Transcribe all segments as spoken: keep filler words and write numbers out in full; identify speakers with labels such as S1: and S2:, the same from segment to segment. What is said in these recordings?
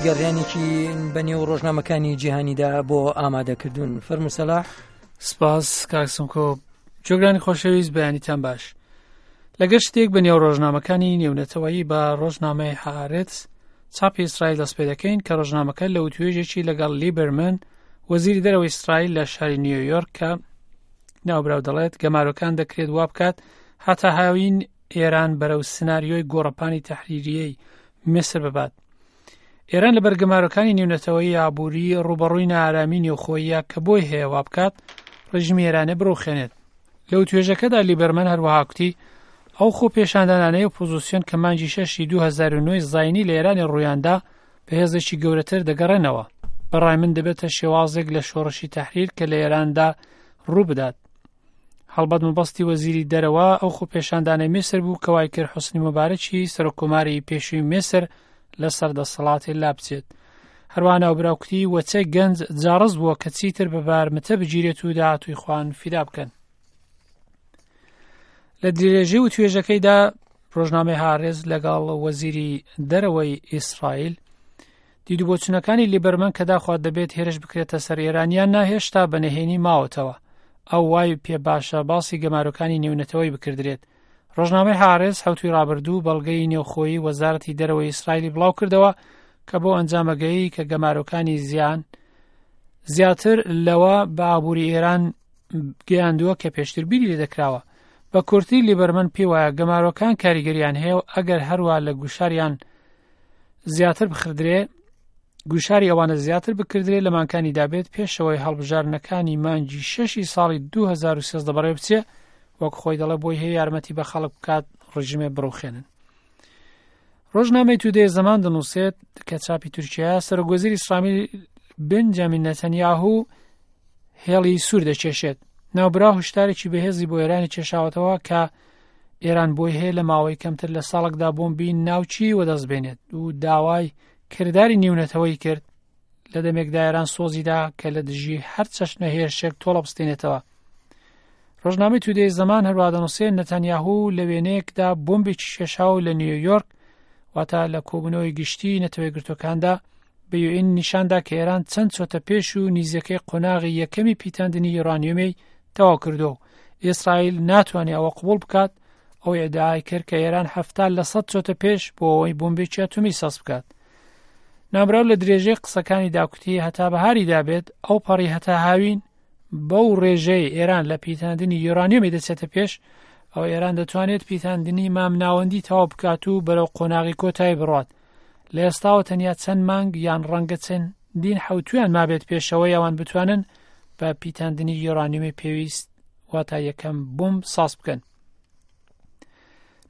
S1: گەڕیانێکی بەنێو ڕۆژنامەکانی جیهانیدا بۆ ئامادەکردوون. فەرموو سەلاح.
S2: سپاس کاک سمکۆ. جۆگرانی خۆشەویست، بەیانیتان باش. لەگەر شتێک بە نێو ڕۆژنامەکانی نێونەتەوەیی بە ڕۆژنامەی هارێتس چاپی ئیسرائیل دەست پێ دەکەین کە ڕۆژنامەکە لە وتوێژێکی لەگەڵ لیبەرمن وەزیری دەرەوەی ئیسرائیل لە شاری نیویۆرک کە ناوبراو دەڵێت گەمارۆکان دەکرێت وا بکات هەتا هاوین ئێران بەرەو سناریۆی گۆڕەپانی تەحریریەی میسر ببات. ئێران لە بەرگەمارۆکانی نێونەتەوەی ئابووری ڕوبەڕووی نارامی نێوخۆیە کە بۆی هەیە وا بکات ڕژیمی ئێرانێ بڕوخێنێت. لەو توێژەکەدا لیبەرمن هەروەها کوتی ئەو خۆپێشاندانانەی ئۆپۆزیسیۆن کە مانگی شەشی دوو هەزار و نۆی زایینی لە ئێرانی ڕوویاندا بە هێزێکی گەورەتر دەگەڕێنەوە. بەڕای من دەبێتە شێوازێک لە شۆڕشی تەحریر کە لە ئێراندا ڕوو بدات. هەڵبەت مەبەستی وەزیری دەرەوە ئەو خۆپێشاندانەی میسر بوو کە وای کرد حوسنی موبارەکی سەرۆککۆماری پێشووی میسر لەسەر دەسەڵاتی لا بچێت. هەروەها ناوبراو کوتی وەچە گەنج جاڕز بووە کە چیتر بە بارمتە بگیرێت و داهاتووی خۆیان فیدا بکەن. لە درێژەی و توێژەکەیدا ڕۆژنامەی هارێز لەگەڵ وەزیری دەرەوەی ئیسرائیل دیدوبۆچونەکانی لیبەرمن کە داخوات دەبێت هێرش بکرێتە سەر ئێرانیان ناهێشتا بە نهێنی ماوەتەوە. ئەو وای پێ باشە باسی گەمارۆکانی نێونەتەوەی بکردرێت. ڕۆژنامەی هارێز حەوتوی ڕابردوو بەڵگەی نێوخۆیی وەزارەتی دەرەوەی ئیسرائیلی بڵاو کردەوە کە بۆ ئەنجامەگەیی کە گەمارۆکانی زیان زیاتر لەوە بە ئابووری ئێران گەیاندووە کە پێشتر بیری لێ دەکراوە. بە کورتی لیبەرمن پێی وایە گەمارۆکان کاریگەریان هەیە و ئەگەر هەروە لە گوشاریان زیاتر بخردرێ گوشاری ئەوانە زیاتر بکردرێ لە مانکانی دابێت پێشەوەی هەڵبژاردنەکانی مانگی شەشی ساڵی دوو هەزار و سێزدە بەڕێ بچێ، وەک خۆی دەڵێ بۆی هەیە یارمەتی بە خەڵک بکات ڕژیمێ بڕوخێنن. ڕۆژنامەی تودەی زەمان دەنووسێت کە چاپی تورکیا سەرۆک وەزیری ئیسرائیل بنجامین نەتەنیاهو هێڵی سوور دەکێشێت. ناوبراو هۆشدارێکی بەهێزی بۆ ئێرانی کێشاوەتەوە کە ئێران بۆی هەیە لە ماوەی کەمتر لە ساڵێکدا بۆمبی ناوچی وەدەست بێنێت و داوای کرداری نێونەتەوەی کرد لە دەمێکدا ئێران سۆزیدا کە لە دژی هەر چەشنە هێرشێک تۆڵە بستێنێتەوە. ڕۆژنامەی تودەی زەمان هەروەها دەنووسێت نەتەنیاهو لە وێنەیەکدا بۆمبێکی کێشاو لە نیویۆرک واتە لە کۆبوونەوەی گشتی نەتەوە یەکگرتووەکاندا بە یوئێن نیشاندا کە ئێران چەند چۆتە پێش و نیزەکەی قۆناغی یەکەمی پیتاندنی یۆرانیۆمی تەواو کردو. ئیسرائیل ناتوانێت ئەوە قبوڵ بکات. ئەو ئیدعای کرد کە ئێران حەفتا لە سەد چۆتە پێش بۆ ئەوەی بۆمبێکی ئەتۆمی ساز بکات. نامراو لە درێژەی قسەکانی داکوتی هەتا بەهاری دابێت ئەو پەڕی هەتا هاوین بەو ڕێژەی ئێران لە پیتاندنی یۆرانیۆمی دەچێتە پێش، ئەو ئێران دەتوانێت پیتاندنی مامناوەندی تەواو بکات و بەرەو قۆناغی کۆتایی بڕات. لە ئێستاوە تەنیا چەند مانگ یان ڕەنگە چەندین حەوتویان مابێت پێشەوەی ئەوان بتوانن بە پیتاندنی یۆرانیۆمی پێویست واتە یەکەم بۆمب ساز بکەن.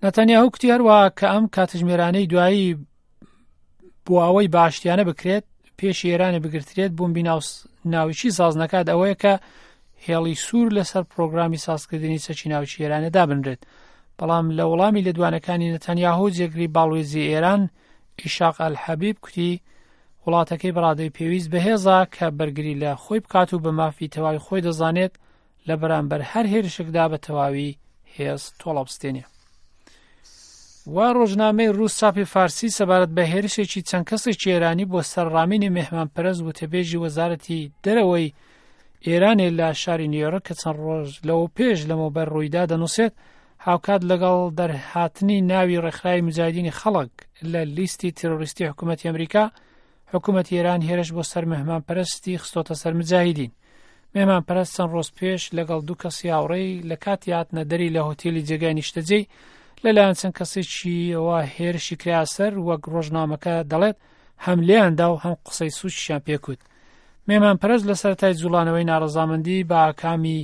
S2: نەتەنیاهو کوتی هەروەها کە ئەم کاتژمێرانەی دوایی بۆ ئەوەی باشتیانە بکرێت پێشی ئێرانی بگرترێت بۆمبی ناوچی ساز نەکات ئەوەیە کە هێڵی سوور لەسەر پرۆگرامی سازکردنی چەکی ناوچی ئێرانە دابنرێت. بەڵام لە وەڵامی لێدوانەکانی نەتەنیاهو جێگری باڵوێزی ئێران ئیشاق ئەلحەبیب کوتی وڵاتەکەی بەڕادەی پێویست بەهێزە کە بەرگری لە خۆی بکات و بە مافی تەواوی خۆی دەزانێت لە بەرامبەر هەر هێرشێکدا بە تەواوی هێز تۆڵە بستێنێ. و ڕۆژنامەی ڕووس چاپی فارسی سەبارەت بە هێرشێکی چەند کەسێکی ئێرانی بۆ سەر ڕامینی مێهمانپەرست وتەبێژی وەزارەتی دەرەوەی ئێرانێ لە شاری نیویۆرک کە چەند ڕۆژ لەوە پێش لەمەوبەر ڕوویدا دەنووسێت هاوکات لەگەڵ دەرهاتنی ناوی ڕێکخراوی مجاهدینی خەڵک لە لیستی تیرۆریستی حکوومەتی ئەمریکا، حکوومەتی ئێران هێرش بۆ سەر مێهمانپەرستی خستۆتە سەر مجاهدین. مێهمانپەرست چەند ڕۆژ پێش لەگەڵ دوو کەسی هاوڕێی لە کاتی هاتنە دەری لە هۆتێلی جێگای نیشتەجێی لەلایەن چەند کەسێکیەوە هێرشی کرا سەر، وەک ڕۆژنامەکە دەڵێت هەم لێیاندا و هەم قسەی سوچیان پێکوت. مێهمانپەرست لە سەرەتای جوڵانەوەی ناڕەزامەندی بە ئاکامی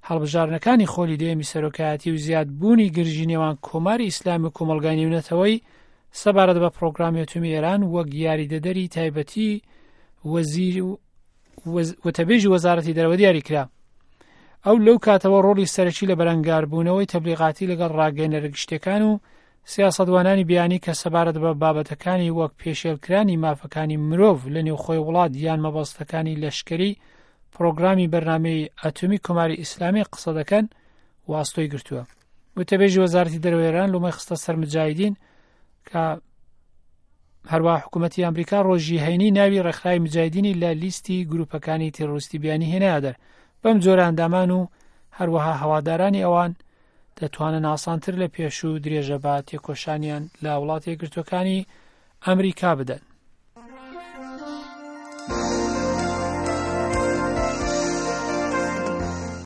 S2: هەڵبژاردنەکانی خۆلی دێمی سەرۆکایەتی و زیادبوونی گرژی نێوان کۆماری ئیسلامی و کۆمەڵگای نێونەتەوەی سەبارەت بە پرۆگرامی ئەتۆمی ئێران وەک یاریدەدەری تایبەتی وەزیر و وتەبێژی وەزارەتی دەرەوە دیاری کرا. ئەو لەو کاتەوە ڕۆڵی سەرەکی لە بەرەنگاربوونەوەی تەبلیغاتی لەگەڵ ڕاگەیەنەرە گشتیەکان و سیاسەتوانانی بیانی کە سەبارەت بە بابەتەکانی وەک پێشێلکرانی مافەکانی مرۆڤ لە نێوخۆی وڵات یان مەبەستەکانی لەشکری پرۆگرامی بەرنامەی ئەتۆمی کۆماری ئیسلامی قسە دەکەن واستۆی گرتووە. وتەبێژی وەزارەتی دەرەوەی ئێران لۆمەی خستە سەر مجاهدین کە هەروە حکوومەتی ئەمریکا ڕۆژی هەینی ناوی ڕێکخراوی مجاهیدینی لە لیستی گروپەکانی تێرۆریستی بیانی هێنایە دەر. بەم جۆرە ئەندامان و هەروەها هەوادارانی ئەوان دەتوانن ئاسانتر لە پێشوو درێژە بە تێکۆشانیان لە وڵاتە یەکگرتووەکانی ئەمریکا بدەن.